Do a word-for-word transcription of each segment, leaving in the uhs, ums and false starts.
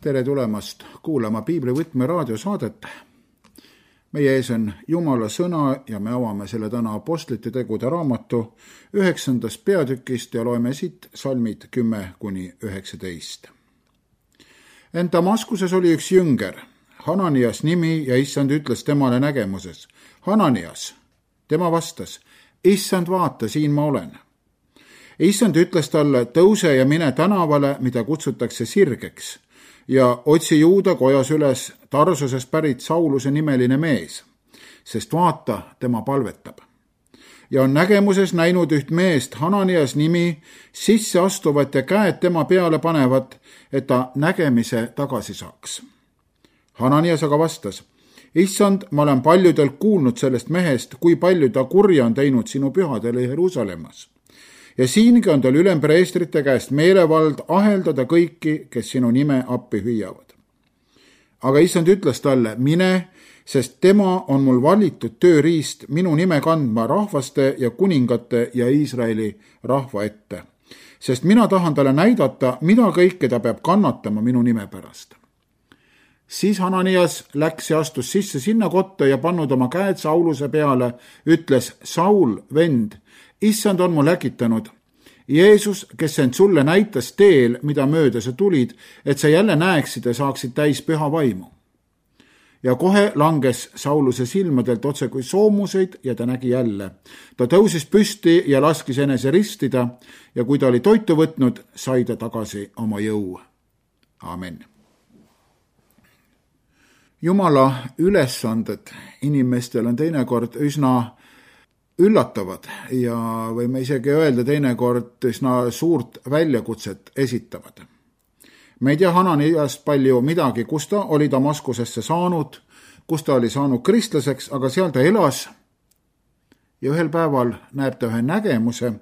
tere tulemast kuulama Piibli Võtme raadiosaadet. Meie ees on Jumala sõna ja me avame selle täna Apostlite tegude raamatu üheksandast peatükist ja loeme siit salmid kümme kuni üheksateist. Ent Damaskuses oli üks jünger, Hananias nimi, ja issand ütles temale nägemuses: Hananias, tema vastas: issand, vaata, siin ma olen. Issand ütles talle: tõuse ja mine tänavale, mida kutsutakse Sirgeks, ja otsi Juuda kojas üles Tarsusest pärit Sauluse nimeline mees, sest vaata, tema palvetab. Ja on nägemuses näinud üht meest, Hananias nimi, sisse astuvat ja käed tema peale panevat, et ta nägemise tagasi saaks. Hananias aga vastas: issand, ma olen paljudelt kuulnud sellest mehest, kui palju ta kurja on teinud sinu pühadele Jeruusalemmas. Ja siingi on tal ülempreestrite käest meelevald aheldada kõiki, kes sinu nime appi hüüavad. Aga issand ütles talle: mine, sest tema on mul valitud tööriist minu nime kandma rahvaste ja kuningate ja Iisraeli rahva ette. Sest mina tahan talle näidata, mida kõike ta peab kannatama minu nime pärast. Siis Hananias läks ja astus sisse sinna kotta ja pannud oma käed Sauluse peale, ütles: Saul, vend, issand on mul äkitanud. Jeesus, kes end sulle näitas teel, mida mööda sa tulid, et sa jälle näeksid ja saaksid täis püha vaimu. Ja kohe langes Sauluse silmadelt otse kui soomuseid ja ta nägi jälle. Ta tõusis püsti ja laskis enese ristida ja kui ta oli toitu võtnud, sai ta tagasi oma jõu. Amen. Jumala ülesanded inimestel on teinekord üsna üllatavad ja võime isegi öelda teinekord üsna suurt väljakutset esitavad. Me ei tea Hananiast palju midagi, kus ta oli Damaskusesse saanud, kus ta oli saanud kristlaseks, aga seal ta elas ja ühel päeval näeb ta ühe nägemuse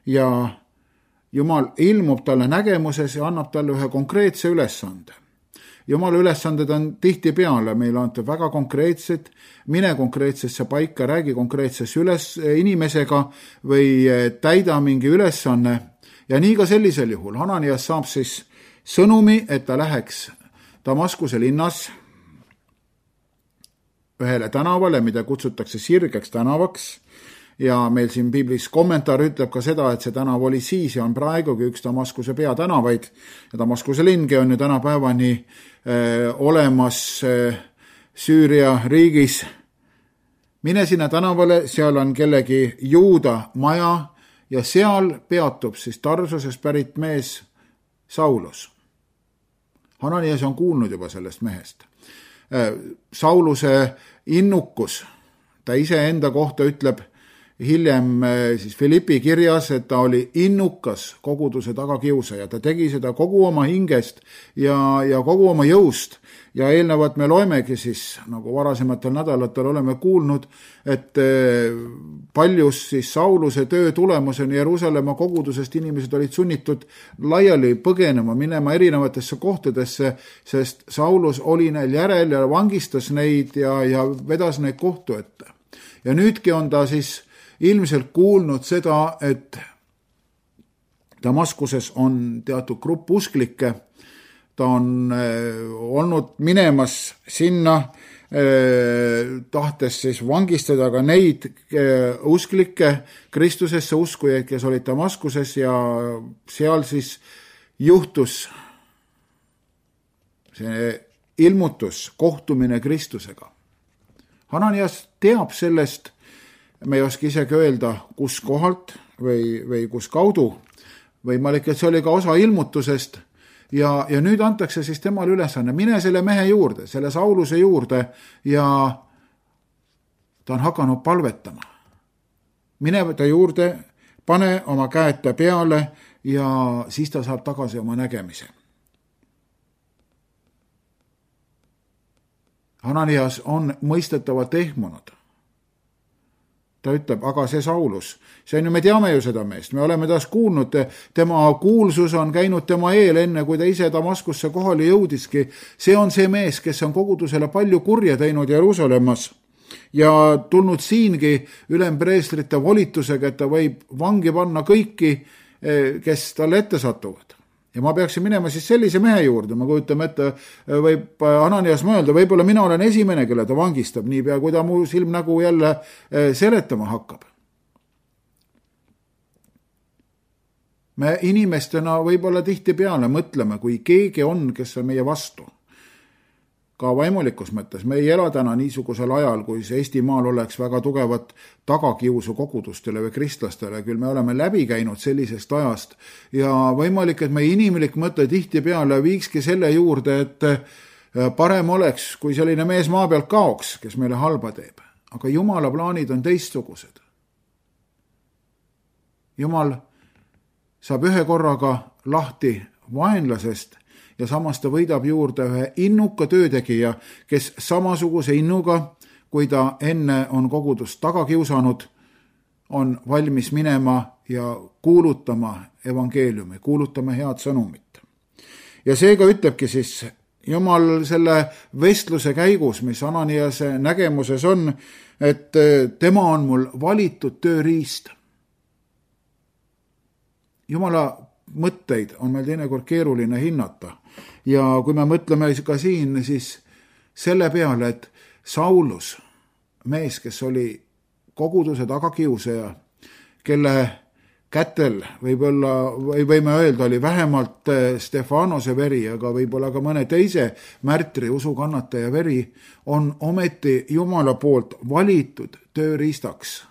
ja Jumal ilmub talle nägemuses ja annab talle ühe konkreetse ülesande. Jumala ülesanded on tihti peale, meil on väga konkreetsed, mine konkreetsesse paika, räägi konkreetses üles inimesega või täida mingi ülesanne. Ja nii ka sellisel juhul Hananias saab siis sõnumi, et ta läheks Damaskuse linnas ühele tänavale, mida kutsutakse Sirgeks tänavaks. Ja meil siin Piiblis kommentaar ütleb ka seda, et see tänav oli siis ja on praegugi üks Damaskuse peatänavaid. Ja Damaskuse lingi on ju tänapäevani äh, olemas äh, Süüria riigis. Mine sinna tänavale, seal on kellegi Juuda maja ja seal peatub siis Tarsusest pärit mees Saulus. Hananias on kuulnud juba sellest mehest. Äh, Sauluse innukus, ta ise enda kohta ütleb hiljem siis Filippi kirjas, et ta oli innukas koguduse tagakiusaja. Ta tegi seda kogu oma hingest ja, ja kogu oma jõust. Ja eelnevat me loemegi siis, nagu varasematel nädalatel oleme kuulnud, et paljus siis Sauluse töö tulemuseni Jeruusalemma kogudusest inimesed olid sunnitud laiali põgenema, minema erinevatesse kohtadesse, sest Saulus oli neil järel ja vangistas neid ja, ja vedas neid kohtu ette. Ja nüüdki on ta siis ilmselt kuulnud seda, et Damaskuses on teatud grupp usklikke. Ta on olnud minemas sinna, tahtes siis vangistada ka neid usklikke Kristusesse uskujaid, kes olid Damaskuses ja seal siis juhtus see ilmutus, kohtumine Kristusega. Hananias teab sellest, me ei oska isegi öelda, kus kohalt või, või kus kaudu, võimalik, et see oli ka osa ilmutusest ja, ja nüüd antakse siis temale ülesanne, mine selle mehe juurde, selle Sauluse juurde ja ta on hakanud palvetama. Mine ta juurde, pane oma käed ta peale ja siis ta saab tagasi oma nägemise. Hananias on mõistetavalt ehmunud. Ta ütleb, aga see Saulus, see on ju, me teame ju seda meest, me oleme taas kuulnud, tema kuulsus on käinud tema eel enne, kui ta ise Damaskusse kohale jõudiski. See on see mees, kes on kogudusele palju kurja teinud Jeruusalemmas ja tulnud siingi ülempreestrite volitusega, et ta võib vangi panna kõiki, kes talle ette satuvad. ja ma peaksin minema siis sellise mehe juurde, ma kujutame ette, võib Ananias mõelda, võib-olla mina olen esimene, kelle ta vangistab, niipea kui ta mu silmnägu jälle seletama hakkab. Me inimestena võib-olla tihtipeale mõtleme, kui keegi on, kes on meie vastu. Ka vaimulikus mõttes, me ei ela täna niisugusel ajal, kui see Eestimaal oleks väga tugevat tagakiusu kogudustele või kristlastele, küll me oleme läbi käinud sellisest ajast ja võimalik, et meie inimlik mõte tihtipeale viikski selle juurde, et parem oleks, kui selline mees maa pealt kaoks, kes meile halba teeb. Aga Jumala plaanid on teistsugused. Jumal saab ühe korraga lahti vaenlasest ja samas ta võidab juurde ühe innuka töötegija, kes samasuguse innuga, kui ta enne on kogudust taga kiusanud, on valmis minema ja kuulutama evangeeliumi, kuulutama head sõnumit. Ja seega ütlebki siis Jumal selle vestluse käigus, mis Ananiase nägemuses on, et tema on mul valitud tööriist. Jumala mõtteid on meil teinekord keeruline hinnata. Ja kui me mõtleme ka siin, siis selle peale, et Saulus, mees, kes oli koguduse tagakiusaja, kelle kätel võib-olla, või võime öelda, oli vähemalt Stefanose veri, aga võib-olla ka mõne teise märtri usukannataja veri, on ometi Jumala poolt valitud tööriistaks,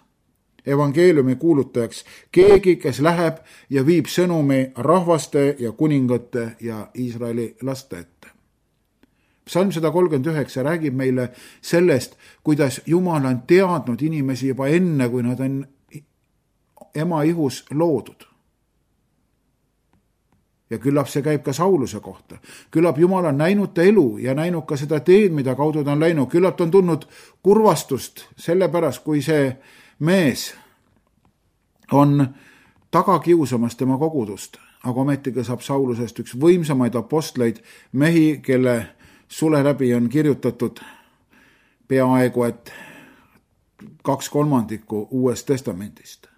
evangeeliumi kuulutajaks, keegi, kes läheb ja viib sõnumi rahvaste ja kuningate ja Iisraeli laste ette. Psalm sada kolmkümmend üheksa räägib meile sellest, kuidas Jumal on teadnud inimesi juba enne, kui nad on ema ihus loodud. Ja küllap see käib ka Sauluse kohta. Küllap Jumal on näinud ta elu ja näinud ka seda teed, mida kaudu ta on läinud. Küllap ta on tulnud kurvastust sellepärast, kui see mees on taga kiusamas tema kogudust, aga ometigi saab Saulusest üks võimsamaid apostleid, mehi, kelle sule läbi on kirjutatud peaaegu et kaks kolmandikku Uuest testamendist.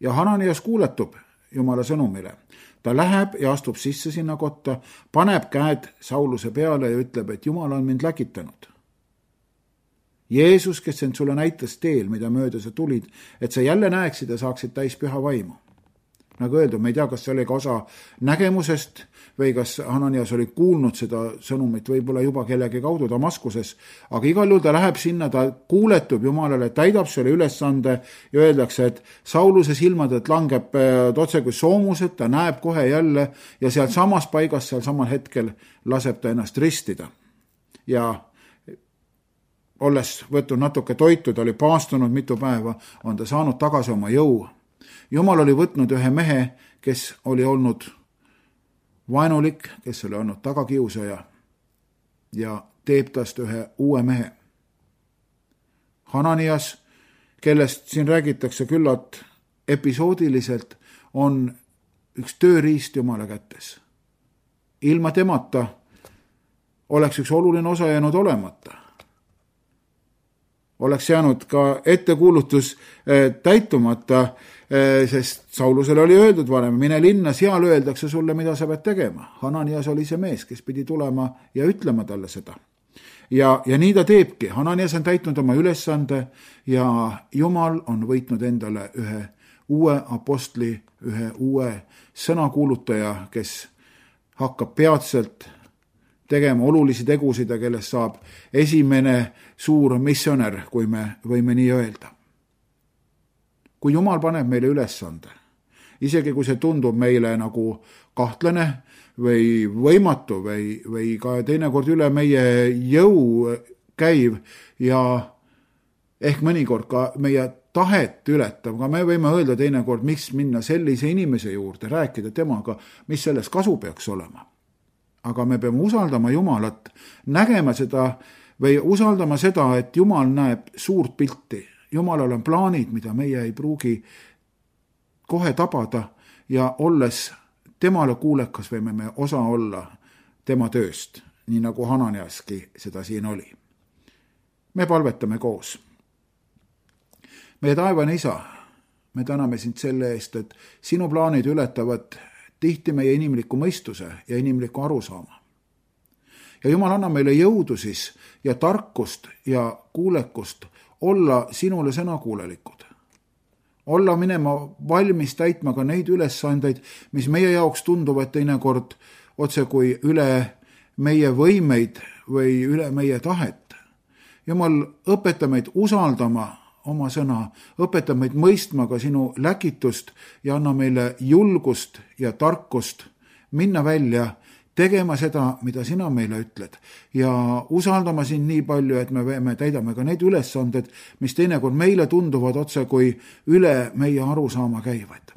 Ja Hananias kuuletub Jumala sõnumile. Ta läheb ja astub sisse sinna kotta, paneb käed Sauluse peale ja ütleb, et Jumal on mind läkitanud. Jeesus, kes end sulle näitas teel, mida mööda sa tulid, et sa jälle näeksid ja saaksid täis püha vaimu. Nagu öeldud, me ei tea, kas see oli ka osa nägemusest või kas Hananias oli kuulnud seda sõnumit võib-olla juba kellegi kaudu Damaskuses, aga igal juhul ta läheb sinna, ta kuuletub Jumalale, täidab selle ülesande ja öeldakse, et Sauluse silmadelt langeb otse kui soomused, ta näeb kohe jälle ja sealt samas paigas, seal samal hetkel laseb ta ennast ristida. Ja olles võtnud natuke toitu, ta oli paastunud mitu päeva, on ta saanud tagasi oma jõu. Jumal oli võtnud ühe mehe, kes oli olnud vaenulik, kes oli olnud tagakiusaja ja teeb tast ühe uue mehe. Hananias, kellest siin räägitakse küllalt episoodiliselt, on üks tööriist Jumala kätes. Ilma temata oleks üks oluline osa jäänud olemata. Oleks jäänud ka ettekuulutus täitumata, sest Saulusele oli öeldud varem, mine linna, seal öeldakse sulle, mida sa pead tegema. Hananias oli see mees, kes pidi tulema ja ütlema talle seda. Ja, ja nii ta teebki. Hananias on täitnud oma ülesande ja Jumal on võitnud endale ühe uue apostli, ühe uue sõnakuulutaja, kes hakkab peatselt tegema olulisi tegusid ja kellest saab esimene suur missionär, kui me võime nii öelda. Kui Jumal paneb meile ülesande, isegi kui see tundub meile nagu kahtlane või võimatu või, või ka teinekord üle meie jõu käiv ja ehk mõnikord ka meie tahet ületav, aga me võime öelda teinekord, miks minna sellise inimese juurde, rääkida temaga, mis sellest kasu peaks olema. Aga me peame usaldama Jumalat, nägema seda või usaldama seda, et Jumal näeb suurt pilti. Jumalal on plaanid, mida meie ei pruugi kohe tabada ja olles temale kuulekas võime me osa olla tema tööst, nii nagu Hananiaski seda siin oli. Me palvetame koos. Meie taevane Isa, me täname sind selle eest, et sinu plaanid ületavad tihti meie inimliku mõistuse ja inimliku arusaama. Ja Jumal anna meile jõudu siis ja tarkust ja kuulekust olla sinule sõnakuulelikud. Olla minema valmis täitma ka neid ülesandeid, mis meie jaoks tunduvad teinekord otse kui üle meie võimeid või üle meie tahet. Jumal, õpeta meid usaldama oma sõna, õpeta meid mõistma ka sinu läkitust ja anna meile julgust ja tarkust minna välja, tegema seda, mida sina meile ütled ja usaldama sind nii palju, et me, me täidame ka neid ülesanded, mis teinekord meile tunduvad otse kui üle meie arusaama käivad.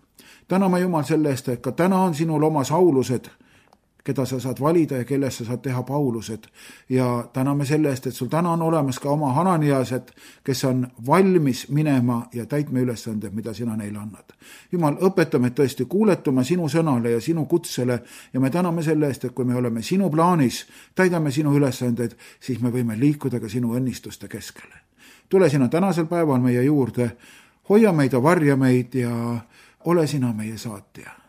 Täname Jumal selle eest, et ka täna on sinul oma Saulused, keda sa saad valida ja kellest sa saad teha Paulused. Ja täname selle eest, et sul täna on olemas ka oma Hananiased, kes on valmis minema ja täitma ülesanded, mida sina neile annad. Jumal, õpeta meid tõesti kuuletuma sinu sõnale ja sinu kutsele ja me täname selle eest, et kui me oleme sinu plaanis, täidame sinu ülesanded, siis me võime liikuda ka sinu õnnistuste keskele. Tule sina tänasel päeval meie juurde, hoia meid ja varja meid ja ole sina meie saatja.